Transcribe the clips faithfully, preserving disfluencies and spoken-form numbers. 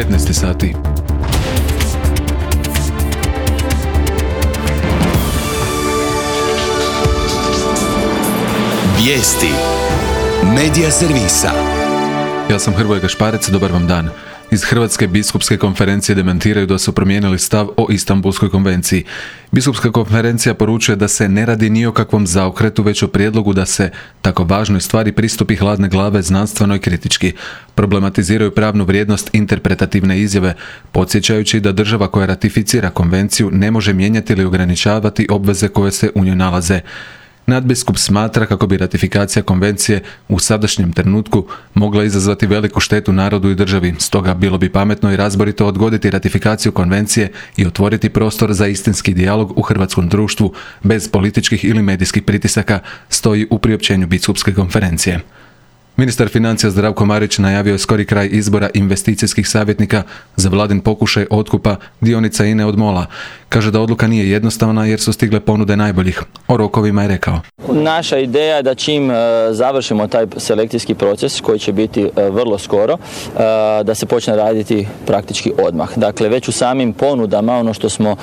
petnaest sati. Vijesti Medija servisa. Ja sam Hrvoje Gašparec, dobar vam dan. Iz Hrvatske biskupske konferencije demantiraju da su promijenili stav o Istanbulskoj konvenciji. Biskupska konferencija poručuje da se ne radi ni o kakvom zaokretu, već o prijedlogu da se tako važnoj stvari pristupi hladne glave, znanstveno i kritički. Problematiziraju pravnu vrijednost interpretativne izjave, podsjećajući da država koja ratificira konvenciju ne može mijenjati ili ograničavati obveze koje se u njoj nalaze. Nadbiskup smatra kako bi ratifikacija konvencije u sadašnjem trenutku mogla izazvati veliku štetu narodu i državi, stoga bilo bi pametno i razborito odgoditi ratifikaciju konvencije i otvoriti prostor za istinski dijalog u hrvatskom društvu bez političkih ili medijskih pritisaka, stoji u priopćenju biskupske konferencije. Ministar financija Zdravko Marić najavio je skori kraj izbora investicijskih savjetnika za vladin pokušaj otkupa dionica I N E od MOL-a. Kaže da odluka nije jednostavna jer su stigle ponude najboljih. O rokovima je rekao: Naša ideja je da čim završimo taj selekcijski proces, koji će biti vrlo skoro, da se počne raditi praktički odmah. Dakle, već u samim ponudama, ono što smo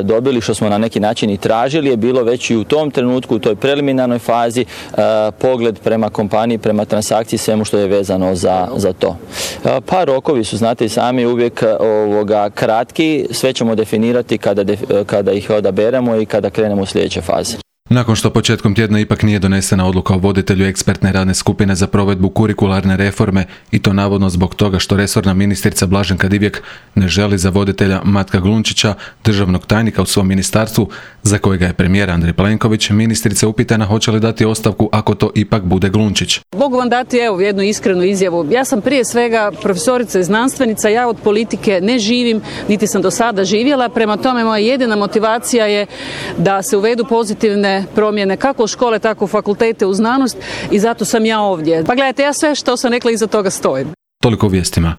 dobili, što smo na neki način i tražili, je bilo već i u tom trenutku, u toj preliminarnoj fazi, pogled prema kompaniji, prema transakciji, svemu što je vezano za, za to. Pa rokovi su, znate i sami, uvijek ovoga, kratki, sve ćemo definirati kada, def, kada ih odaberemo i kada krenemo u sljedeće faze. Nakon što početkom tjedna ipak nije donesena odluka o voditelju ekspertne radne skupine za provedbu kurikularne reforme, i to navodno zbog toga što resorna ministrica Blaženka Divjak ne želi za voditelja Matka Glunčića, državnog tajnika u svom ministarstvu, za kojega je premijer Andrej Plenković, ministrica upitana hoće li dati ostavku ako to ipak bude Glunčić. Mogu vam dati evo jednu iskrenu izjavu. Ja sam prije svega profesorica i znanstvenica, ja od politike ne živim, niti sam do sada živjela, prema tome moja jedina motivacija je da se uvedu pozitivne promjene kako u škole, tako u fakultete, u znanost, i zato sam ja ovdje. Pa gledajte, ja sve što sam rekla iza toga stojim. Toliko u vijestima.